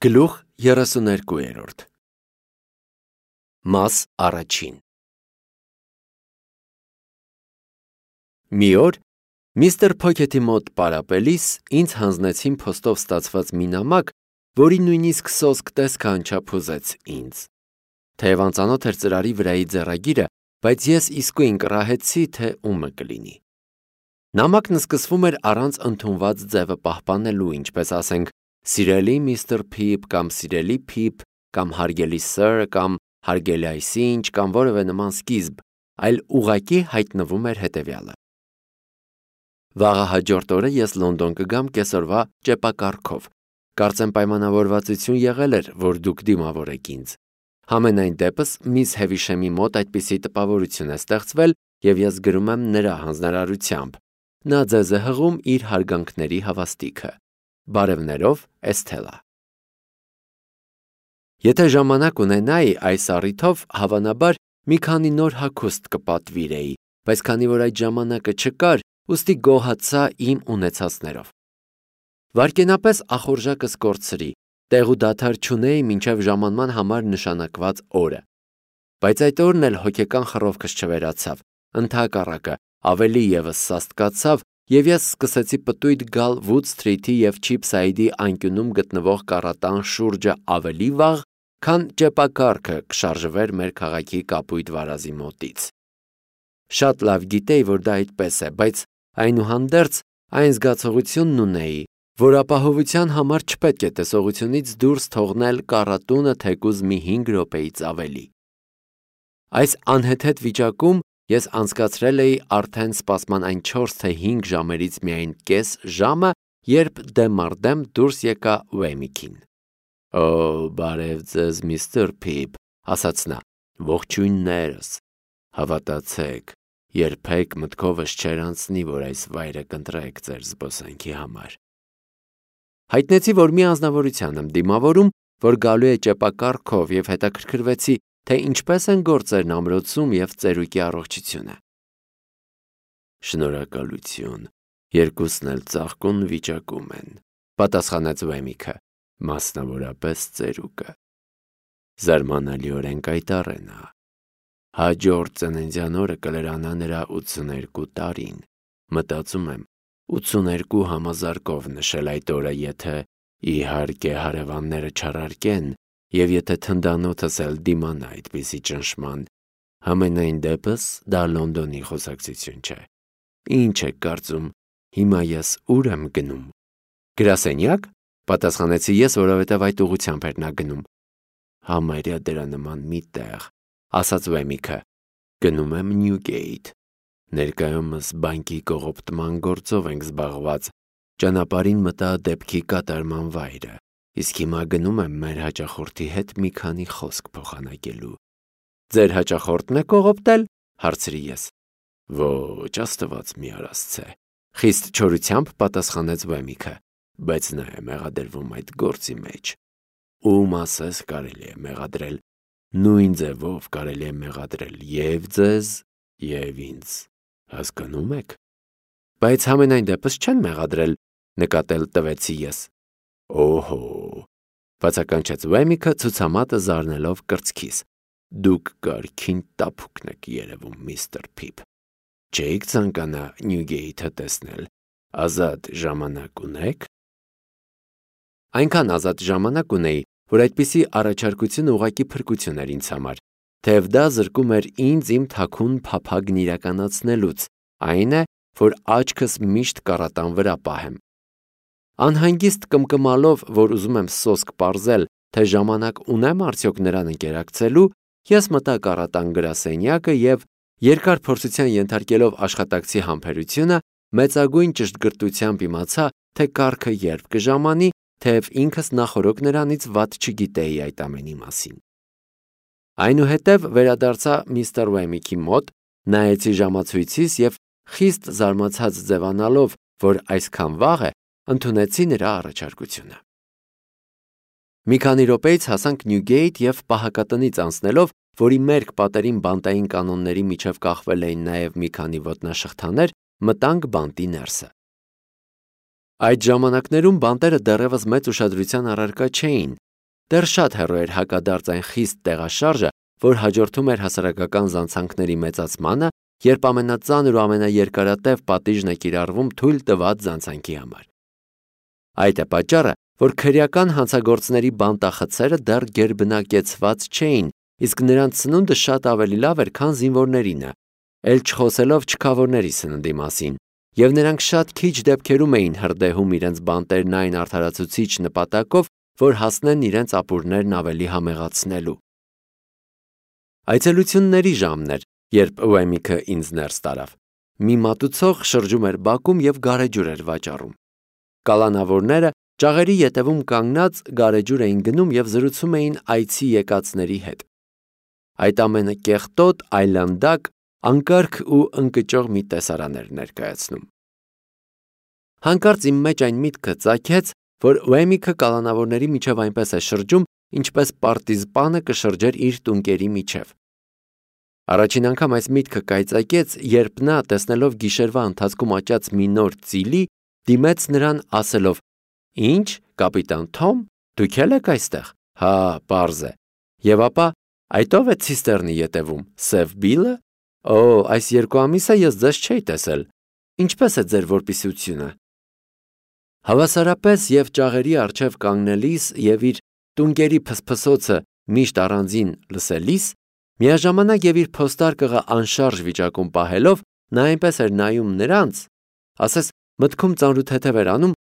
Գլուխ 32 Մաս առաջին Մի օր միստր Փոքեթի մոտ պարապելիս ինձ հանձնեցին փոստով ստացված մի նամակ, որի նույնիսկ սոսկ տեսքը անչափ հուզեց ինձ։ Թեև անծանոթ էր ծրարի վրայի ձեռագիրը, բայց ես իսկույն կռահեցի, թե ումը կլինի։ Նամակն սկսվում էր առանց ընդունված ձևը պահպանելու, ինչպես ասենք «Սիրելի միստր Փիփ» կամ «Սիրելի Փիփ» կամ «Հարգելի սըր» կամ «Հարգելի այսինչ» կամ որևէ նման սկիզբ, այլ ուղղակի հայտնվում էր հետևյալը. Վաղը հաջորդ օրը ես Լոնդոն կգամ կեսօրվա ճեպակառքով։ Կարծեմ պայմանավորվածություն եղել էր, որ դուք դիմավորեք ինձ։ Համենայն դեպս միս Հևիշեմի մոտ այդպիսի տպավորություն է ստեղծվել, եւ ես գրում եմ նրա հանձնարարությամբ։ Նա ձեզ է հղում իր հարգանքների հավաստիքը։ Բարևներով, Էսթելա։ Եթե ժամանակ ունենայի, այս առիթով հավանաբար մի քանի նոր հագուստ կպատվիրեի, բայց քանի որ այդ ժամանակը չկար, ուստի գոհացա իմ ունեցածներով։ Վայրկենապես ախորժակս կորցրի, տեղ ու դադար չունեի մինչև ժամանման համար նշանակված օրը։ Բայց այդ օրն էլ հոգեկան խռովքս չվերացավ, ընդհակառակը ավելի ևս սաստկացավ, եւ ես սկսեցի պտույտ գալ Վուդ Սթրիթի եւ Չիփսայդի անկյունում գտնվող կառատան շուրջը ավելի վաղ, քան ճեպակառքը կշարժվեր մեր քաղաքի կապույտ վարազի մոտից։ Շատ լավ գիտեի, որ դա այդպես է, բայց այնուհանդերձ այն զգացողությունն ունեի, որ ապահովության համար չպետք է տեսողությունից դուրս թողնել կառատունը թեկուզ մի 5 րոպեից ավելի։ Այս անհեթեթ վիճակում ես անցկացրել էի արդեն սպասման այն 4 թե 5 ժամերից միայն կես ժամը, երբ դեմ առ դեմ դուրս եկա Ուեմիքին։ «Օ, բարև ձեզ, միստր Փիփ», ասաց նա, «ողջույններս, հավատացեք, երբեք մտքովս չէր անցնի, որ այս վայրը կընտրեք ձեր զբոսանքի համար»։ Հայտնեցի, որ մի անձնավորության եմ դիմավորում, որ գալու է ճեպակառքով, եւ հետաքրքրվեցի, թե ինչպես են գործերն ամրոցում եւ ծերուկի առողջությունը։ Շնորհակալություն, երկուսն էլ ծաղկուն վիճակում են, պատասխանեց Ուեմիքը, մասնավորապես ծերուկը։ Զարմանալիորեն կայտառ է նա։ Հաջորդ ծննդյան օրը կլրանա նրա 82 տարին։ Մտածում եմ 82 համազարկով նշել այդ օրը, եթե իհարկե հարևանները չառարկեն, եւ եթե թնդանոթս էլ դիմանա այդպիսի ճնշման, համենայն դեպս դա Լոնդոնի խոսակցություն չէ։ Ինչ եք կարծում, հիմա ես ուր եմ գնում։ Գրասենյակ, պատասխանեցի ես, որովհետև այդ ուղղությամբ էր նա գնում։ Համարյա դրա նման մի տեղ, ասաց Ուեմիքը, գնում եմ Նյուգեյթ։ Ներկայումս բանկի կողոպտման գործով ենք զբաղված, ճանապարհին մտա դեպքի կատարման վայրը, իսկ հիմա գնում եմ մեր հաճախորդի հետ մի քանի խոսք փոխանակելու։ Ձեր հաճախորդն է կողոպտել, հարցրի ես։ Ոչ, Աստված մի արասցե, խիստ չորությամբ պատասխանեց Ուեմիքը, բայց նա է մեղադրվում այդ գործի մեջ։ Ում ասես կարելի է մեղադրել, նույն ձևով կարելի է մեղադրել եւ ձեզ, եւ ինձ, հասկանում եք։ Բայց համենայն դեպս չեն մեղադրել, նկատել տվեցի ես։ Օհո, բացականչեց Ուեմիքը ցուցամատը զարնելով կրծքիս։ Դուք կարքին տափուկն եք երևում, միստր Փիփ։ Չէիք ցանկանա Նյուգեյթը տեսնել, ազատ ժամանակ ունեք։ Այնքան ազատ ժամանակ ունեի, որ այդպիսի առաջարկությունը ուղղակի փրկություն էր ինձ համար, թեև դա զրկում էր ինձ իմ թաքուն փափագն իրականացնելուց, այն է, որ աչքս միշտ կառատան վրա պահեմ։ Անհանգիստ կմկմալով, որ ուզում եմ սոսկ պարզել, թե ժամանակ ունեմ արդյոք նրան ընկերակցելու, ես մտա կառատան գրասենյակը եւ երկար փորձության ենթարկելով աշխատակցի համբերությունը, մեծագույն ճշտգրտությամբ իմացա, թե կառքը երբ կժամանի, թեև ինքս նախորոք նրանից վատ չգիտեի այդ ամենի մասին։ Այնուհետև վերադարձա միստր Ուեմիքի մոտ, նայեցի ժամացույցիս եւ խիստ զարմացած ձևանալով, որ այսքան վաղ է, ընդունեցի նրա առաջարկությունը։ Մի քանի րոպեից հասանք Նյուգեյթ եւ պահակատնից անցնելով, որի մերկ պատերին բանտային կանոնների միջև կախվել էին նաեւ մի քանի ոտնաշղթաներ, մտանք բանտի ներսը։ Այդ ժամանակներում բանտերը դեռևս մեծ ուշադրության առարկա չէին, դեռ շատ հեռու էր հակադարձ այն խիստ տեղաշարժը, որ հաջորդում էր հասարակական զանցանքների մեծացմանը, երբ ամենածանր ու ամենաերկարատև պատիժն է կիրառվում թույլ տված զանցանքի համար։ Այդ է պատճառը, որ քրեական հանցագործների բանտախցերը դեռ գերբնակեցված չէին, իսկ նրանց սնունդը շատ ավելի լավ էր, քան զինվորներինը, էլ չխոսելով չքավորների սննդի մասին, և նրանք շատ քիչ դեպքերում էին հրդեհում իրենց բանտերն այն արդարացուցիչ նպատակով, որ հասնեն իրենց ապուրներն ավելի համեղացնելու։ Այցելությունների ժամն էր, երբ Ուեմիքը ինձ ներս տարավ։ Մի մատուցող շրջում էր բակում և գարեջուր էր վաճառում։ Կալանավորները ճաղերի ետևում կանգնած գարեջուր էին գնում և զրուցում էին այցի եկածների հետ։ Այդ ամենը կեղտոտ, այլանդակ, անկարգ ու ընկճող մի տեսարան էր ներկայացնում։ Հանկարծ իմ մեջ այն միտքը ծագեց, որ Ուեմիքը կալանավորների միջև այնպես է շրջում, ինչպես պարտիզպանը կշրջեր իր տունկերի միջև։ Առաջին անգամ այս միտքը կայծակեց, երբ նա, տեսնելով գիշերվա ընթացքում աճած մի նոր ծիլի, դիմեց նրան ասելով. «Ինչ, կապիտան Թոմ, դուք էլ եք այստեղ, հա, պարզ է, և ապա այդ ով է ցիստեռնի ետևում, Սև Բիլը, օ, այս 2 ամիս է ես ձեզ չէի տեսել, ինչպես է ձեր որպիսությունը»։ Հավասարապես և ճաղերի առջև կանգնելիս և իր տունկերի փսփսոցը միշտ առանձին լսելիս, միաժամանակ և իր փոստարկղը անշարժ վիճակում պահելով, նա այնպես էր նայում նրանց, ասես մտքում ծանրութեթև էր անում,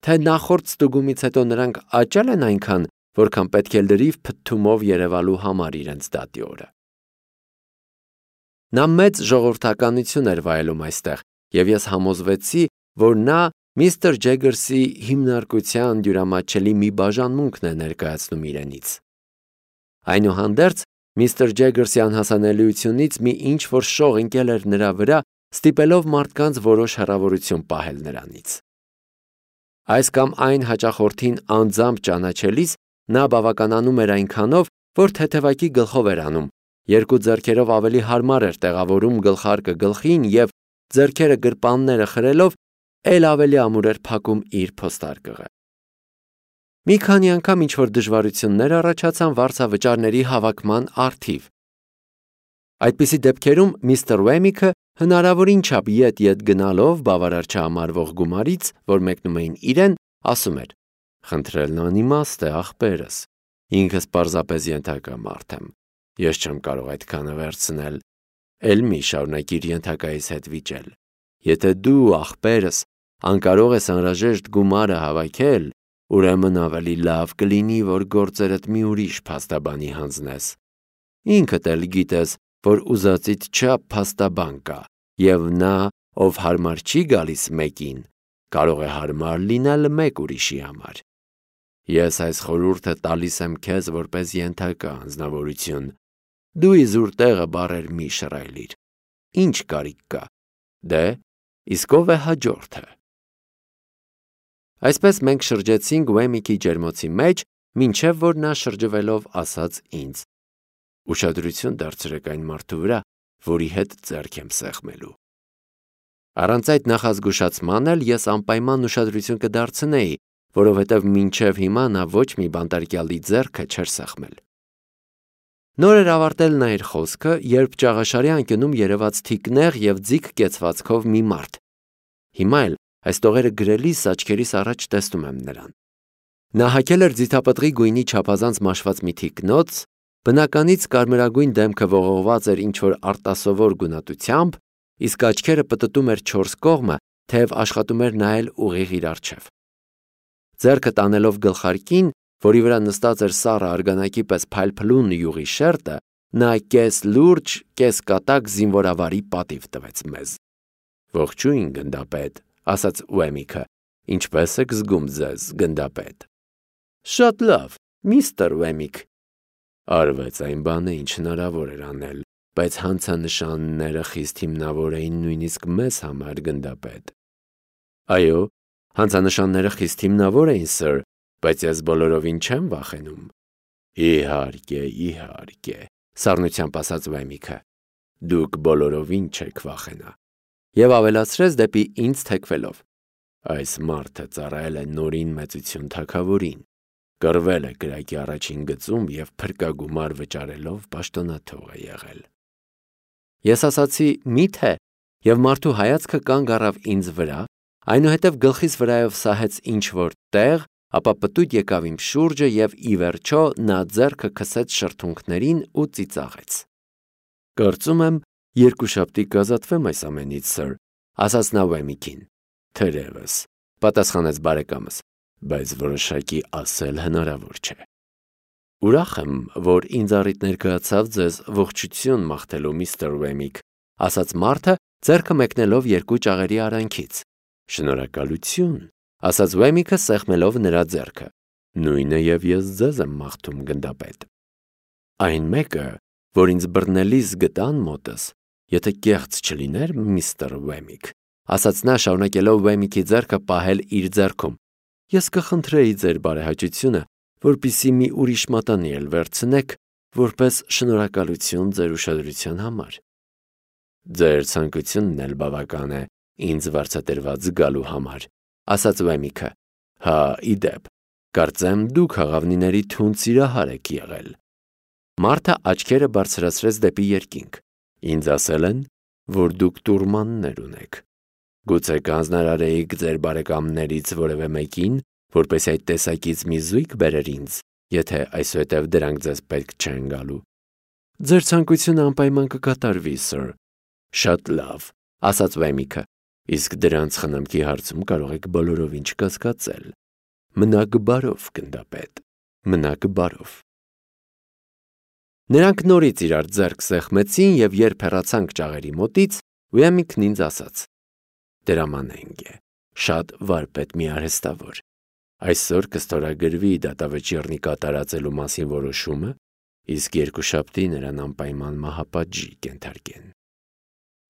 թե նախորդ ստուգումից հետո նրանք աճել են այնքան, որքան պետք է լրիվ փթթումով երևալու համար իրենց դատի օրը։ Նա մեծ ժողովրդականություն էր վայելում այստեղ, և ես համոզվեցի, որ նա միստր Ջեգերսի հիմնարկության դյուրամատչելի մի բաժանմունքն է ներկայացնում իրենից։ Այնուհանդերձ, միստր Ջեգերսի անհասանելիությունից մի ինչ-որ շող ընկել էր նրա վրա, ստիպելով մարդկանց որոշ հեռավորություն պահել նրանից։ Այս կամ այն հաճախորդին անձամբ ճանաչելիս նա բավականանում էր այնքանով, որ թեթևակի գլխով էր անում, 2 ձեռքերով ավելի հարմար էր տեղավորում գլխարկը գլխին և ձեռքերը գրպանները խրելով էլ ավելի ամուր էր փակում իր փոստարկղը։ Մի քանի անգամ ինչ-որ դժվարություններ առաջացան վարձավճարների հավաքման առթիվ։ Այդպիսի դեպքերում միստր Ուեմիքը հնարավորին չափ ետ գնալով բավարար չհամարվող գումարից, որ մեկնում էին իրեն, ասում էր. «Խնդրելն անիմաստ է, ախպերս, ինքս պարզապես ենթակա մարդ եմ, ես չեմ կարող այդքանը վերցնել, էլ մի շարունակիր ենթակայիս հետ վիճել, եթե դու, ախպերս, անկարող ես անհրաժեշտ գումարը հավաքել, ուրեմն ավելի լավ կլինի, որ գործերդ մի ուրիշ փաստաբանի հանձնես, ինքդ էլ գիտես, որ ուզածիդ չափ փաստաբան կա, և նա, ով հարմար չի գալիս մեկին, կարող է հարմար լինել մեկ ուրիշի համար։ Ես այս խորհուրդը տալիս եմ քեզ որպես ենթակա անձնավորություն, դու իզուր տեղը բառեր մի շռայլիր, ինչ կարիք կա, դե, իսկ ով է հաջորդը»։ Այսպես մենք շրջեցինք Ուեմիքի ջերմոցի մեջ, մինչև որ նա շրջվելով ասաց ինձ. «Ուշադրություն դարձրեք այն մարդու վրա, որի հետ ձեռք եմ սեղմելու»։ Առանց այդ նախազգուշացման էլ ես անպայման ուշադրություն կդարձնեի, որովհետև մինչև հիմա նա ոչ մի բանտարկյալի ձեռքը չէր սեղմել։ Նոր էր ավարտել նա իր խոսքը, երբ ճաղաշարի անկյունում երևաց թիկնեղ և ձիգ կեցվածքով մի մարդ։ Հիմա էլ այս տողերը գրելիս աչքերիս առաջ տեսնում եմ նրան։ Նա հագել էր ձիթապտղի գույնի չափազանց մաշված մի թիկնոց, բնականից կարմրագույն դեմքը ողողված էր ինչ-որ արտասովոր գունատությամբ, իսկ աչքերը պտտում էր 4 կողմը, թեև աշխատում էր նայել ուղիղ իր առջև։ Ձեռքը տանելով գլխարկին, որի վրա նստած էր սառը արգանակի պես փայլփլուն յուղի շերտը, նա կես լուրջ, կես կատակ զինվորավարի պատիվ տվեց մեզ։ «Ողջույն, գնդապետ», ասաց Ուեմիքը, «ինչպես եք զգում ձեզ, գնդապետ»։ «Շատ լավ, միստր Ուեմիք»։ Արվեց այն բանը, ինչ հնարավոր էր անել, բայց հանցանշանները խիստ հիմնավոր էին նույնիսկ մեզ համար, գնդապետ։ Այո, հանցանշանները խիստ հիմնավոր էին, սըր, բայց ես բոլորովին չեմ վախենում։ Իհարկե, իհարկե, սառնությամբ ասաց Ուեմիքը, դուք բոլորովին չեք վախենա։ Եվ ավելացրեց դեպի ինձ թեքվելով. այս մարդը ծառայել է նորին մեծություն թագավորին, կռվել է կրակի առաջին գծում և փրկագումար վճարելով պաշտոնաթող է եղել։ Ես ասացի՝ մի՞թե, և մարդու հայացքը կանգ առավ ինձ վրա, այնուհետև գլխիս վրայով սահեց ինչ-որ տեղ, ապա պտույտ եկավ իմ շուրջը և ի վերջո նա ձեռքը քսեց շրթունքներին ու ծիծաղեց։ Կարծում եմ, երկուշաբթի կազատվեմ այս ամենից, սըր, ասաց նա Ուեմիկին։ Թերևս, պատասխանեց բարեկամս, բայց որոշակի ասել հնարավոր չէ։ Ուրախ եմ, որ ինձ առիթ ներկայացավ ձեզ ողջույն մաղթելու միստր Ուեմիկ, ասաց մարդը, ձեռքը մեկնելով երկու ճաղերի արանքից։ Շնորհակալություն, ասաց Ուեմիկը սեղմելով նրա ձեռքը։ Նույնը և ես ձեզ եմ մաղթում, գնդապետ։ Այն մեկը, որ ինձ բռնելիս գտան մոտս, եթե կեղծ չլիներ, միստր Ուեմիկ, ասաց նա շարունակելով Ուեմիկի ձեռքը պահել իր ձեռքում, ես կխնդրեի ձեր բարեհաճությունը, որպեսզի մի ուրիշ մատանի էլ վերցնեք, որպես շնորհակալություն ձեր ուշադրության համար։ Ձեր ցանկությունն էլ բավական է ինձ վարձատրված զգալու համար, ասաց Ուեմիկը։ Հա, ի դեպ, կարծեմ դուք աղավնիների թունդ սիրահար եք եղել։ Մարդը աչքերը բարձրացրեց դեպի երկինք։ Ինձ ասել են, որ դուք տուրմաններ ունեք։ Գուցե կանձնարարեիք ձեր բարեկամներից որևէ մեկին, որպեսզի այդ տեսակից մի զույգ բերեր ինձ, եթե այսուհետև դրանք ձեզ պետք չեն գալու։ Ձեր ցանկությունը անպայման կկատարվի, սըր։ Շատ լավ, ասաց Ուեմիկը, իսկ դրանց խնամքի հարցում կարող եք բոլորովին չկասկածել։ Մնաք բարով, գնդապետ, մնաք բարով։ Նրանք նորից իրար ձեռք սեղմեցին և երբ հեռացանք ճաղերի մոտից, Ուեմիկն ինձ ասաց. Դրամանենք է, շատ վարպետ մի արհեստավոր։ Այսօր կստորագրվի դատավճիռնի կատարածելու մասին որոշումը, իսկ երկուշաբթի նրան անպայման մահապատժի կենթարկեն։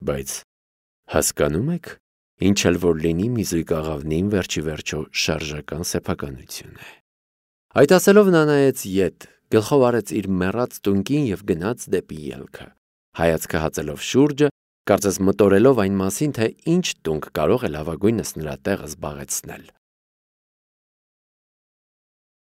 Բայց հասկանում եք, ինչ էլ որ լինի, մի զույգ աղավնին վերջի վերջո շարժական սեփականություն է։ Այդ ասելով նա նայեց ետ, գլխով արեց իր մեռած տունկին և գնաց դեպի ելքը, հայացքը հածելով շուրջը, կարծես մտորելով այն մասին, թե ինչ տունկ կարող է լավագույնս նրա տեղը զբաղեցնել։